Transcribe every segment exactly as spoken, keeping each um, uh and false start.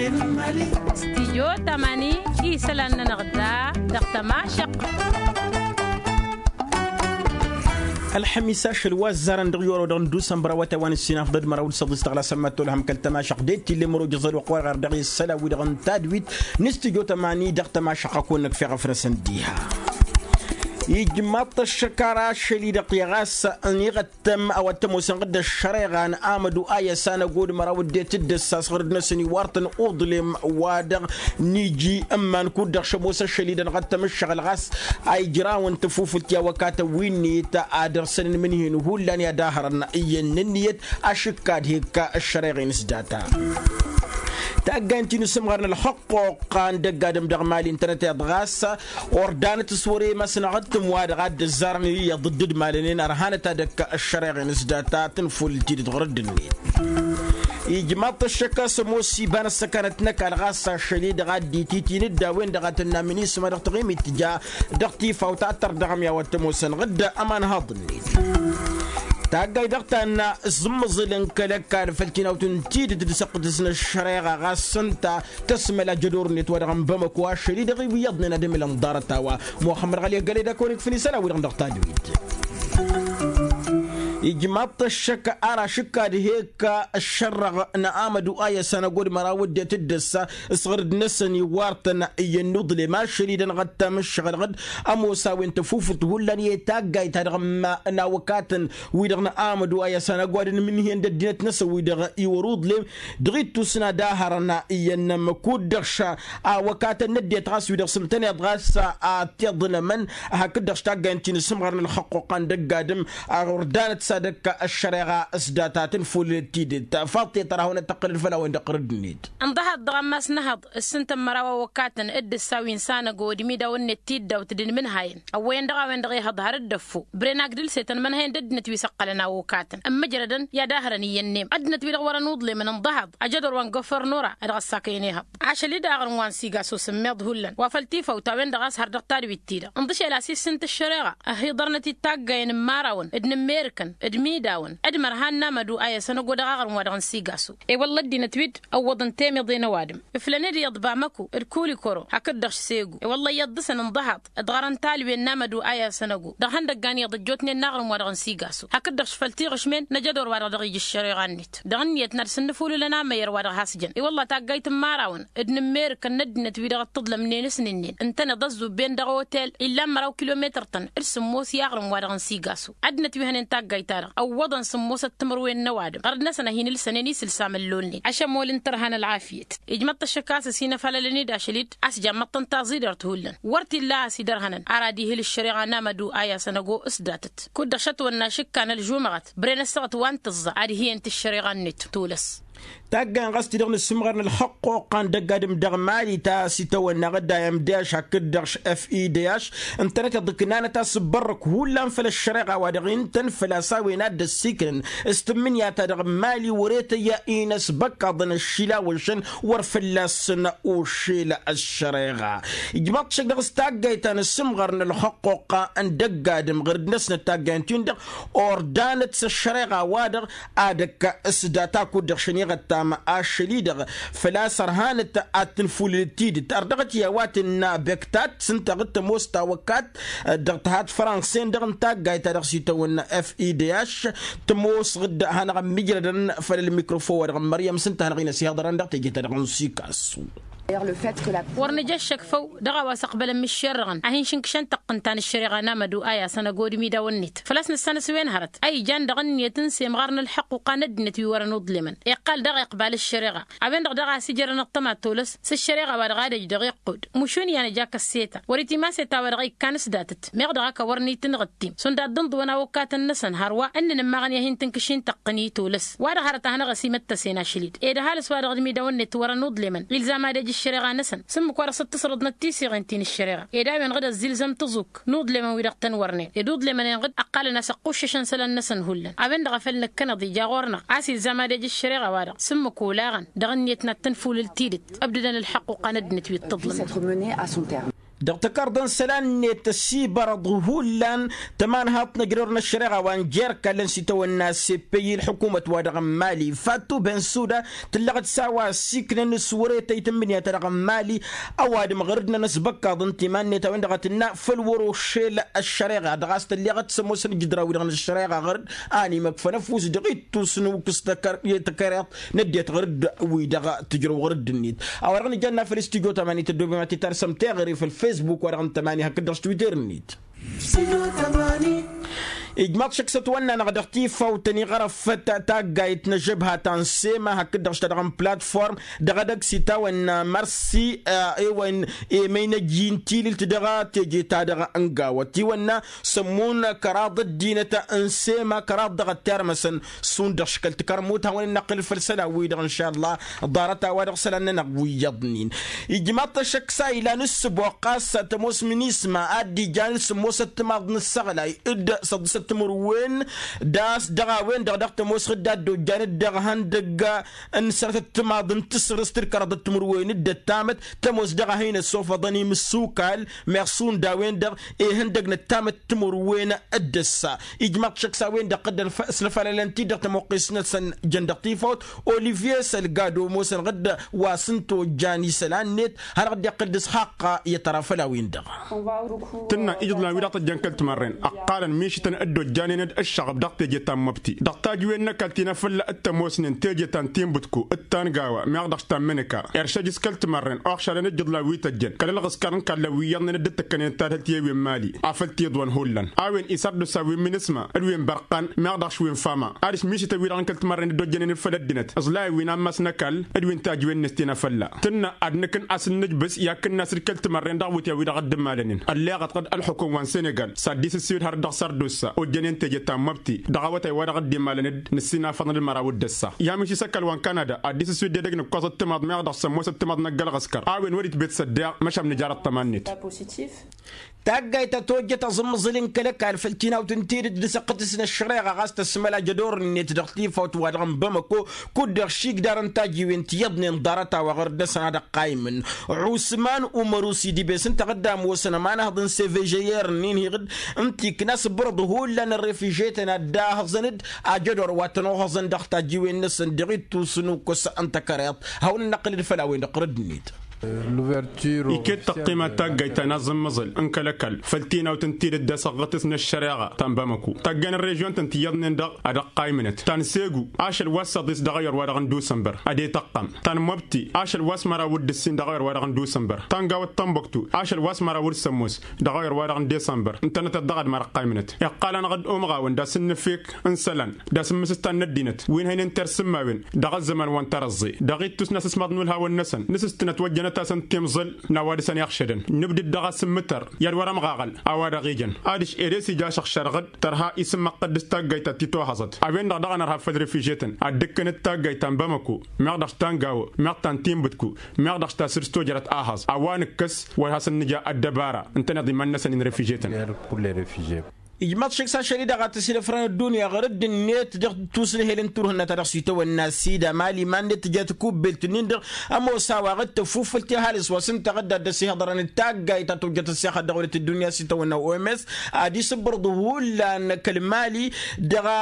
Stijyo tamani isălan-nănăɣ da dăɣ-tămašăq. Ălxămis ašăl wa ăzzarăn dăɣ-i orăw dăɣ-nǝddusa n-bărawătay wa n-ǝssinafḍăd măraw d-săḍis tăɣlasăn mad-tolhăm kăl-tămašăq d-e t-ille măro jăẓăl wa ăqqoyăɣ ar dăɣ-e ăssălan-wi-dăɣ n-tadwit n-stijyo tamani dăɣ-tămašăq a kăwăn-nǝkfeɣ afrăsăn diha. Ijmaḍ-t ăššăk ara ašăl-i-dăɣ i-ɣas n-iɣăt tăm a-wa t-ămoosăn ɣǝdda ăššăreɣa n-amădu a i-ăsanăgod măraw ăddinăt d-ăssas ɣǝrǝd-năsăn iwar-tăn uḍlem wa-dăɣ n-iji ǝmman kud-dăɣ šămoos ašăl-i-dăɣ n-iɣăt tăm ǝššăɣǝl ɣas a ijrawăn tăfufǝlt i-awăkatăn wi-net a dăr-săn n-imǝnhǝyăn hullan i-ad-ahărăn iyyăn n-ǝnniyăt ašǝkka d-hekka ăššăreɣa-in s-data. Taggayn ti n-asǝmɣar n-ălxăqqoqqa n-dăgg-adǝm dăɣ-mali ǝntănăteḍ ɣas ordanăt s-wăr-e imasăn aɣǝttǝm wa dăɣ-a dd-ăzzarăn iyyăḍ dd-ǝdmalănen ărhanăt ad-ăkk ăššăreɣ-in s-data tǝnfulǝl tidǝt ɣur-dd-net. Ijmaḍ-t ăššăk a-s ămoos iba n-ăssăkanăt n-ăkall ɣas ašăl-i-dăɣ a dd-ititi n-dd a-wen-dăɣ a tǝnna minisma dăɣ-taɣimit tǝja dăɣ-tifawt ad-tărdăɣăm i-a-wa t-ămoosăn ɣǝdda ămanhăḍ-net. Taggayt dăɣ-ta n-aẓǝmmăẓǝl n-kăl-ăkall făll-tinawt n-tidǝt d-săqqǝtǝs n-ăššăreɣa ɣas s-ǝnta tăsmăl ajădor-net wa dăɣ-n bamăko ašăl-i-dăɣ iyyăḍnen ad-ǝmǝlăn ḍarăt a-wa muxămmăd ɣăli ăggălăy d-ad-kăwăn-ikfăn isălan-wi-dăɣ dăɣ-tadwit. Ijmaḍ-t ăššăk ar ašǝkka d-hekka ăššărrăɣ n-amădu a i-ăsanăgod măraw ăddinăt d-ăssa s-ɣărd-năsăn iwar-tăn iyyăn n-uḍlem ašăl-i-dăɣ n-iɣăttam ǝššăɣǝl ɣǝd ămoos a-wen tăfufǝlt hullan i-taggayt-ta-dăɣ n-awăkatăn wi-dăɣ n-amădu a i-ăsanăgod n-imǝnhǝyăn d-ăddinăt-năsăn wi-dăɣ iwăr uḍlem dăɣ-ittus n-ad-ahărăn iyyăn n-ămmăkud-dăɣ š-awăkatăn n-ăddinăt ɣas wi-dăɣ s-ǝmtăneḍ ɣas a-t-iḍnămăn hakd-dăɣ s-taggayăn ti n-asǝmɣar n-ălxăqquqqa n-dăgg-adǝm a ordanăt s-ad-ăkk ăššăreɣa s-data tǝnful tidǝt. Faḍt i-tărahăwăn ad-tăqqǝlăd făll-a-wen-dăɣ ɣur-dd-net. Ǝnḍăhăḍ dăɣ-ammas n-ehăḍ s-ǝntăn măraw awăkatăn d-ǝssa wi n-sanăgo d-imidawăn-net tiddawt d-inmǝnhayăn ăwwăyăn dăɣ-a-wen-dăɣ ehăḍ har dd-ăffu brenak d-ǝlsetăn imǝnhayăn d-ăddinăt wi s-ǝqqălăn awăkatăn ǝmmǝjrădăn i-ad-ahărăn iyyăn n-emm ăddinăt-wi-dăɣ wărăn uḍlemăn ǝnḍăhăḍ ajădor wa n-gofărnura dăɣ-ăssakăyăn ehăḍ. Ašăl-i-dăɣ aɣrǝm wa n-sigaso s-ǝmmiḍ hullan wa făll-tifawt a-wen-dăɣ a-s har dăɣ-tadwit ti-dăɣ ǝnḍǝšel a-s issǝnt ăššăreɣa ăhiḍărnăt-dd taggayen n-imărawăn d-inǝmmerǝkăn d-imidawăn d-imărhan n-amădu a i-ăsănăgo dăɣ-aɣrǝm wa dăɣ-n sigaso. I-wălla ăddinăt-wi-dd ăwwăḍăn temǝḍe n-ăwadǝm ǝflăn-dd iyyăḍ bamăko d-kulikoro hakd-dăɣ s-segu i-wălla iyyăḍ dăɣ-săn ǝnḍăhăḍ d-ɣărăn talwen n-amădu a i-ăsănăgo dăɣ-ihăndăggan iyyăḍ ăjjootnen n-aɣrǝm wa dăɣ-n sigaso hakd-dăɣ šfăl-tiɣǝšmen n-ajădor wa dăɣ-dăɣ-ija ăššăreɣa-net dăɣ-ǝnniyăt n-ad-săn-nǝfulǝlăn amăyăr wa dăɣ-has-jăn. I-wălla taggayt n-imărawăn d-inǝmmerǝkăn n-ăddinăt-wi-dăɣ ăṭṭăḍlămnen s-inǝnnen ǝntăneḍ ăzzubben dăɣ-otel illan măraw kilometăr-tăn d-sǝmmos i-aɣrǝm wa dăɣ-n sigaso. Ăddinăt wi hănen taggayt-ta-dăɣ ăwwăḍăn sǝmmosăt timǝrwen n-ăwadǝm ɣărd-năsăn a hin-ǝlsănen isǝlsa măllolnen ašămol n-tărha n-ălɣafyăt. Ijmăḍ-t ăššăk a-s ăsinăfalălăn-dd ašăl-dd a-s jammăḍ-tăn taẓidert hullan wăr t-illa a has-idărhănăn ar ad-ihǝl ǝššăreɣa n-amădu a i-asănăgo s-datăt. Kud-dăɣ šătwănna ašǝkka n-ălžumăɣăt bren ăssăɣăt wa n-tǝẓẓa ad-hi-ănt ǝššăreɣa-net tolăs. Taggayn ɣas ti-dăɣ n-asǝmɣar n-ălxăqquqqa n-dăgg-adǝm dăɣ-mali ta s-itawănna ɣǝdda i-m d-ašăk hakd-dăɣ š-f i d-ašăk ǝntănăteḍ ǝknanăt asǝbbărrăk hullan făll-ăššăreɣa wa dăɣ-intăn făl-a-s a-wen a dd-ăssiiknăn s-tǝmmǝnǝya-ta-dăɣ n-mali wăr-e tăyya-in ăsbăkkaḍăn ăššilawăšăn wăr fălla-săn ušel ăššăreɣa. Ijmaḍ-t šăkk dăɣ-s taggayt ta n-asǝmɣar n-ălxăqquqqa n-dăgg-adǝm ɣǝrǝd-năsnăt taggayn-tin-dăɣ ordanăt s-ăššăreɣa-wa-dăɣ ad-ăkk s-data kud-dăɣ šăn iɣăttam ašăl-i-dăɣ făl-a-s ărhanăt ad-tǝnfulǝlăt tidǝt ărdăɣăt i-a-wa tǝnna bektat s-ǝnta ɣǝd tămoos tawăkkat dăɣ-tăhat franse-en-dăɣ n-taggayt ta dăɣ-s itawănna f i d h tămoos ɣǝd hanăɣ-ămmijrădăn făll-ălmikrofon-wa-dăɣ n-măryăm s-ǝnta hanăɣ-in-ăsihăḍărăn dăɣ-teje-ta-dăɣ n-sikasu. Wăr nǝja ăššăk făw dăɣ-a-wa s-ăqbălăn mǝššerrăɣăn a hin-šǝnkǝšăn tăqqǝnta n-ăššăreɣa n-amădu a i-asăn ăgodǝm idawăn-net făl-a-s nǝssanăs wen hărăt a ijan dăɣ-ǝnniyăt n-semɣar n-ălḥăqquqa n-ăddinăt wi wărăn uḍlemăn iqqal daɣ iqbal ăššăreɣa. A-wen-dăɣ daɣ a-s ijărăn ăṭṭăma tolăs s-ăššăreɣa-wa-dăɣ ad-ăj dăɣ-iqqud mušun i-ad-nǝja kăsseta wăr-itimas i-ta-wa-dăɣ a ikkan s-datăt meɣ dăɣ-ak a wărăn itǝnɣǝttim šund ad-dd-ǝnḍǝwăn awăkkatăn-năsăn hărwa ǝnnăn ǝmmaɣăn i-ad-hin-tǝnkǝšin tăqqǝn i-tolăs wa-dăɣ hărăt a hanăɣ-ăsimăttăsen ašăl-dd ed ăhalǝs-wa-dăɣ d-imidawăn-net wărăn uḍlemăn ilzam ad-ej ăššăreɣa-năsăn s-ǝmmǝk-wa-dăɣ s-dd-tǝsrǝḍnăt tisiɣen ti n-ăššăreɣa ed a-wen-dăɣ d-ăzzilzăm tăẓuk n-uḍlemăn wi-dăɣ tăn-wărnen ed uḍlemăn-en-dăɣ ăqqalăn a-s ăqquššăšăn isălan-năsăn hullan a-wen-dăɣ a făl năkkăneḍ ija ɣur-năɣ a-s ilzam ad-ej ăššăreɣa-wa-dăɣ s-ǝmmǝk olaɣăn dăɣ-ǝnniyăt n-ad-tǝnfulǝl tidǝt ăbdădăn ălḥăqquqa n-ăddinăt wi ǝṭṭăḍlămăn. Dăɣ-tăkarḍăn isălan-net ăsibărăḍ hullan tămanhaḍt n-ăjrăwr n-ăššăreɣa wa n-jer-kallăn s-itawănna s-epăyy ǝlḥǝkumăt-wa-dăɣ n-mali fattu bensuda tǝllăɣ-dd s-a-wa ăssiiknăn s-wăr-e tăytǝmmǝnǝya-ta-dăɣ n-mali. Ăwadǝm ɣur-dd n-ănăsbăkkaḍ n-timan-net a-wen-dăɣ a tǝnna făll-wăr-ošel ăššăreɣa dăɣ-a-s tălleɣăt s-ămoosăn ijǝdrawăn-dăɣ n-ăššăreɣa ɣur-dd a ănimăkfăn ăfuss dăɣ-ittus n-ukǝs tăkăreḍt n-ăddinăt ɣur-dd wi-dăɣ tǝjrăw ɣur-dd-net. A-wa-dăɣ nǝjănna făll-studyo tămani tăddoobem ad-t-tarsăm teɣăre făll-fesbuk wa dăɣ-n tămani hakd-dăɣ s-twitter-net. Ijmaḍ šăkk s-ătwănna-năɣ dăɣ-tifawt ăniɣărăfăt taggayt n-ăžžăbha ta n-sema hakd-dăɣ s-ta-dăɣ n-platform dăɣ-edăgg s-itawănna mărsi. Ewăn emăynăj i-n tililt dăɣ-teje-ta-dăɣ n-gawăt iwănna sămmun kăraḍ ăddinăt n-sema kăraḍ dăɣ-ăttarmăsăn šund dăɣ-škăl tikărmut hawăn-in-năqqǝl făll-isălan-wi-dăɣ n-šalla. Ḍarăt-a-wa-dăɣ isălan-nănăɣ wi iyyăḍnen ijmaḍ-t ăššăk s-a ilan ǝssǝboɣ ɣas tămoos minisma ad-dd-ijan d-sǝmmosăt timaḍ n-ǝssăɣlay d-săḍǝsăt timǝrwen d-a-s dăɣ-a-wen-dăɣ dăɣ-tămoos ɣǝdda dd-ojjan-dd dăɣ-ihăndăgg n-sărătăt timaḍ n-tǝsrǝst d-kăraḍăt timǝrwen d-ăttamăt tămoos dăɣ-a hin-ăssofăḍăn imǝssukal meɣ šund a-wen-dăɣ ihăndăgg n-ăttamăt timǝrwen d-ăssa. Ijmaḍ-t šăkk s-a-wen-dăɣ ɣǝddăn s-nǝfălălăn-t-dd dăɣ-tămuqqist-năsăn jăn dăɣ-tifawt olivier sălgado ămoosăn ɣǝdd wa s-ǝnta ojjan isălan-net hanăɣ-dd-iqqǝl d-asxaqqa i-ătrafăl a-wen-dăɣ. Tǝnna ijǝḍlan wi-dăɣ tăjjăn kăl-timărren ăqqalăn mišǝtăn dd-ojjanen d-ǝššăɣăb dăɣ-teje ta n-măbti dăɣ-tajǝwen n-ăkall ti n-afălla d-tămoosnen teje ta n-tinbǝtku d-tangawa meɣ dăɣ-s ta n-mǝnǝka. Iršăj s-kăl-timărren oɣšadăn ijǝḍlan wi tăjjăn kăl-ălɣǝskar n-kallăn wi iyyăḍnen dd-tǝkkănen tadhǝlt i-wen mali afăl tiḍwăn hullan a-wen isărdus a-wen minisma d-wen bărqan meɣ dăɣ-s wen fama. Ad-s mišǝtăn wi-dăɣ n-kăl-timărren dd-ojjănen d-făll-ăddinăt ǝẓlayăn wi n-ammas n-ăkall d-wi n-tajǝwen-net ti n-afălla tǝnna ad-nǝkǝn a-s ǝnnǝjbǝs i-ad-kǝnnas d-kăl-timărren dăɣ-iwǝtyan wi-dăɣ dd-imalănen ălleɣăt ɣǝd ălxukum wa n-senegal s-ad-dd-isǝswǝd har dăɣ-sărdusa ojjănen teje ta n-măbti dăɣ-awătay wa dăɣ-dd-imalăn-dd nǝssinafăḍăn d-măraw d-ăssa. I-amǝš isăkall wa n-kanada ad-dd-isǝswǝd edăgg n-ǝkkoẓăt timaḍ meɣ dăɣ-sămmosăt timaḍ n-ăgg-ălɣǝskăr a-wen wăr-itbet s-ăddeɣ măšan nǝjarăt tăma-net. Taggayt ta tojjăt aẓǝmmăẓǝl n-kăl-ăkall făll-tinawt n-tidǝt d-asăqqǝtǝs n-ăššăreɣa ɣas tăsmălaj ădor-net dăɣ-tifawt-wa-dăɣ n-bamăko kud-dăɣ šigdar n-tajǝwen ti iyyăḍnen ḍarăt-a-wa ɣur-dăɣ-săn ad-ăqqaymǝn. Ɣusman umăr usidibes ǝnta ɣǝdda ămoosăn ămanhăḍ n-sevežăyer-nin hiɣǝd ǝnta ikna s-bărăḍ hullan ărrefižetăn ad-dd-ahăẓăn-dd ajădor wa tăn-ohăẓăn dăɣ-tajǝwen-năsăn dăɣ-ittus n-ukǝs n-takăreḍt. Hawăn-năqqǝl-dd făll-a-wen-dăɣ ɣur-dd-net. Iket tăqqima taggayt ta n-aẓǝmmăẓǝl n-kăl-ăkall făll-tinawt n-tidǝt d-asăɣɣătǝs n-ăššăreɣa ta n-bamăko tagga n-ărrežyon-tăn ti iyyăḍnen-dăɣ ad-ăqqaymǝnăt ta n-segu ašăl wa s-săḍis dăɣ-ayăr wa dăɣ-n dusănbăr ad-e-tăqqam ta n-măbti ašăl wa s-măraw d-ǝssin dăɣ-ayăr wa dăɣ-n dusănbăr ta n-gawăt tănbăktu ašăl wa s-măraw d-sămmos dăɣ-ayăr wa dăɣ-n dusănbăr ǝntănătăt dăɣ-ad-măr ăqqaymǝnăt. Iqqalăn ɣǝd umɣawăn d-asǝnnǝfek n-isălan d-asǝmmǝsǝstan n-ăddinăt wi n-hăynen terse n-imawen dăɣ-ăzzăman wa n-tărăẓẓe dăɣ-ittus n-asǝsmaḍ n-ulhawăn-năsăn nǝsǝstǝnăt wăjjănăt-asăn timẓǝl n-a-wa dăɣ-săn iɣšădăn nǝbdǝd dăɣ-asǝmmǝtăr i-ad-wăr-ămɣaɣăl a-wa dăɣ-ijăn adiš ere s-ija ašăɣšar ɣǝd tărha isǝmmăqqăd dăɣ-s taggayt ta t-itohăẓăt a-wen-dăɣ dăɣ-anărha făll-refijyetăn ad-dd-ǝkkǝnăt taggayt ta n-bamăko meɣ dăɣ-s ta n-gawo meɣ ta n-tinbǝtku meɣ dăɣ-s ta săr s-tojărăt ahăẓ a-wa nǝkkăs wăr hasăn-nǝja ăddăbara ǝntăneḍ iman-năsăn i-n-refijyetăn. Ijmaḍ šik s-ašăl-i-dăɣ a t-ăsilăfrăn ăddunya ɣur-dd-net dăɣ-tusnăhel n-turhǝnna ta dăɣ-s itawănna sida mali iman-net tǝja takubbelt-nin-dăɣ ămoos a-wa ɣǝd tăfufǝlt i-ăhalǝs wa s-ǝnta ɣǝd a dd-ăsihăḍărăn d-taggayt ta tojjăt ăssixăt dăɣ-wăr-dd ăddunya s-itawănna oms ad-isǝbbărḍ hullan kăl-mali dăɣ-a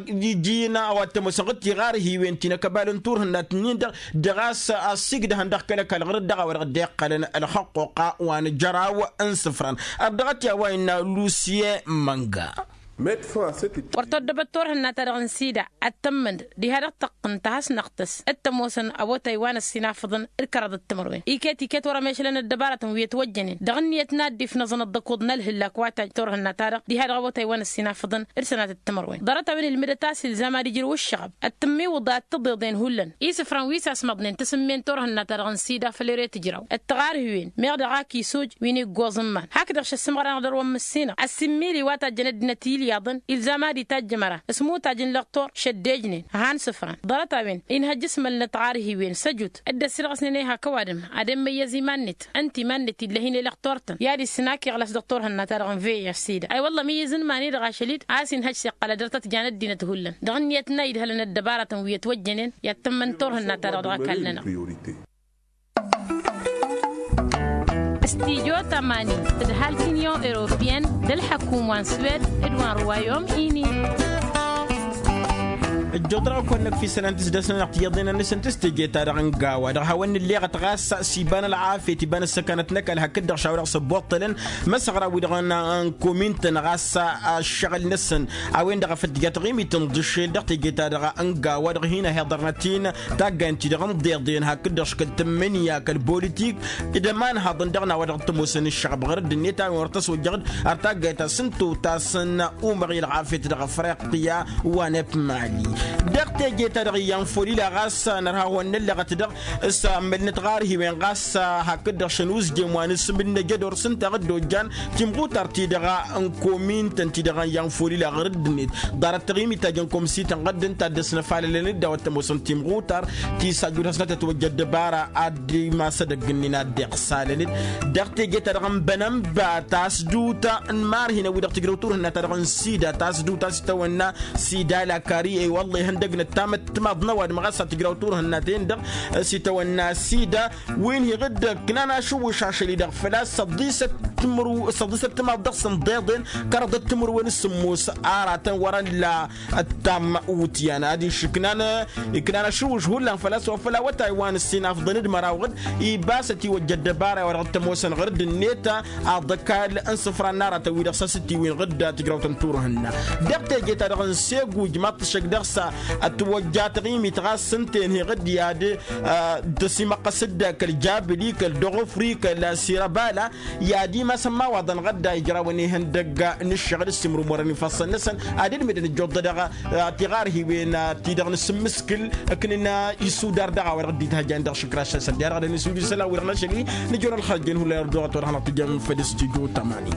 iji-in a-wa t-ămoosăn ɣǝd tiɣarhiwen ti n-akăbal n-turhǝnna-t-nin-dăɣ dăɣ-a-s ăssigdăhăn dăɣ-kăl-ăkall ɣur-dd dăɣ-a-wa dăɣ-dd-iqqălăn ălxăqquqa wa n-ajăraw n-isǝfran. Ărdăɣăt i-a-wa innă lusye mănga. Wăr tăddăbăt turhǝnna-ta-dăɣ n-sida ad-tămmănd diha dăɣ-tăqqǝn tahăsnăɣt-s d-tămoosăn awătay wa n-ăssinafăḍăn d-kăraḍăt timărwen iket-iket wăr-ămešlăn ăddăbarătăn wi ătwăjjănen dăɣ-ǝnniyăt n-ad-dd-ifnăẓăn ăḍḍăkuḍ n-ălhǝllak wa tăjj turhǝnna-ta-dăɣ diha dăɣ-awătay wa n-ăssinafăḍăn d-sănatăt timărwen ḍarăt-a-wen ilmǝdăt a-s ilzam ad-ijrǝw ǝššăɣăb ad-tǝmmiwǝḍ ad-tǝḍeḍen hullan isǝfran wi s-asmăḍnen tasǝmmen turhǝnna-ta-dăɣ n-sida făll-ere tǝjraw d-tiɣarhiwen meɣ dăɣ-ak isoj wi n-iggoẓ n-iman hakdăɣ šăssǝmɣăr-anăɣ dăr-wăn mǝssinăɣ ăssimmili wa tajjăn ăddinăt i-ilyaḍăn ilzam ad-itajj ămăra s-imutajj n-lăqtor šăddejnen han sǝfran ḍarăt-a-wen inhăjj s-mălnăt ɣarhiwen săjut dd-ăssirɣăsnen i-hak ăwadǝm ad-emmăyyăz iman-net ǝnta iman-net ill'-e hin-elăqtor-tăn i-ad-issǝn ak iɣlăs dăɣ-turhǝnna-ta-dăɣ n-vih sida a-i wălla măyyăz n-iman-i-dăɣ ašăl-dd a-s inhăjj s-iqqăl ad-dăr-tăt-jan ăddinăt hullan dăɣ-ǝnniyăt n-a idhălăn ăddăbarătăn wi ătwăjjănen i-ad-tǝmmăn turhǝnna-ta-dăɣ dăɣ-akall-nănăɣ. Tidjo tămani d-ǝhal t-inyon europiyăn d-ălḥăkum wa n-swed d-wa n-ruwayom-ini. Ǝjjuḍ-dăɣ a-kăwăn-năkf isălan tǝsdăsnănăɣ tiyyăḍ-i-nănăɣ s-ǝntǝs teje-ta-dăɣ n-gawa dăɣ-hawăn-nǝlleɣăt ɣas s-iba n-ălɣafyăt iba n-ăssăkanăt n-ăkall hakd-dăɣ šaw-dăɣ s-ăbbuṭṭălăn măsăɣra-wi-dăɣ n-komin-tăn ɣas ăššăɣǝl-năsăn a-wen-dăɣ a făl tǝja taɣimit n-iḍǝššel dăɣ-teje-ta-dăɣ n-gawa dăɣ-hin-ăhiḍărnăt-in taggayen-ti-dăɣ n-iḍeḍen hakd-dăɣ škăl tǝmmǝnǝya kăl-politik d-ămanhaḍăn dăɣ-nawa dăɣ-t-ămoosăn ǝššăɣăb ɣăr dd-net a-wen wăr tăswăjjăɣ-dd ar taggayt ta s-ǝnta ta s-n-umăɣil ɣafyăt dăɣ-afriqya. Wa n-epmali dăɣ-teje-ta-dăɣ iyyăn folila ɣas nărha hawăn-năllăɣăt dăɣ-s ămmălnăt ɣar hiwen ɣas hakd-dăɣ šăn uzjem wa n-asǝm d-năjădor s-ǝnta ɣǝdda ojjan timɣutar-ti-dăɣ n-komin-tăn-ti-dăɣ iyyăn folila ɣăr dd-net ḍarăt taɣimit ta jăn komsi-tăn ɣăr dd-ǝnta a dd-ăsnăfalălăn-dd a-wa t-ămoosăn timɣutar ti s-ajud hasnăt ătwăjja ăddăbara ad-imas edăgg-ǝnnin ad-dd-iɣsalăn-dd. Dăɣ-teje-ta-dăɣ n-bănănba tasdut n-imarhinăn wi-dăɣ tǝjrăw turhǝnna-ta-dăɣ n-sida tasdut a-s itawănna sida lakari ewălla ihăndăgnăt tamăttămaḍ n-ăwadǝm ɣas ad-tǝjrăw turhǝnna-ten-dăɣ s-itawănna sida. Wi n-hi-ɣǝddǝg ǝknan ašǝwwǝš ašăl-i-dăɣ făl-a-s săḍisăt tǝmǝrw săḍisăt tǝmaḍ dăɣ-săn ḍeḍen kăraḍăt tǝmǝrwen s-sǝmmos aratăn wăr-ălla. Ăttam utyan ad-išǝknan iknan ašǝwwǝš hullan făl-a-s wa făl awătay wa n-ǝssin afḍăn d-măraw ɣǝd ibas ătiwăjja ăddăbara wa dăɣ-t-ămoosăn ɣǝr dd-net aḍăkal n-isǝfran n-aratăn-wi-dăɣ s-a-s dd-tiwǝyăn ɣǝd tǝjrawt n-turhǝnna. Dăɣ-teje-ta-dăɣ n-seguj ma t-tǝššăk dăɣ-s ătwăjja taɣimit ɣas s-ǝnta-en hi-ɣǝd i-ad-tăsimăqqăs-dd kăl-jabǝli kăl-dăɣofri kăl-sirăbala i-ad-imasăn imawaḍăn ɣădda ijrawăn ihăndăgg n-ǝššăɣǝl s-imrǝmurăn ifassăn-năsăn. Ad-dd-mǝdăn ǝjjuḍ-dăɣ tiɣarhiwen ti-dăɣ n-asǝmmǝskǝl ǝknǝn isudar dăɣ-a-wa dăɣ-dd-itahăjjan dăɣ-išǝkraš-năsăn diha dăɣ-dăɣ-nǝsǝmjǝsăl a-wi-dăɣ n-ašăl-i nǝjăwăn ălxărjăn hullan ărdăɣăt wa dăɣ-hanăɣ-tǝjjăm făll-s tijo tămani.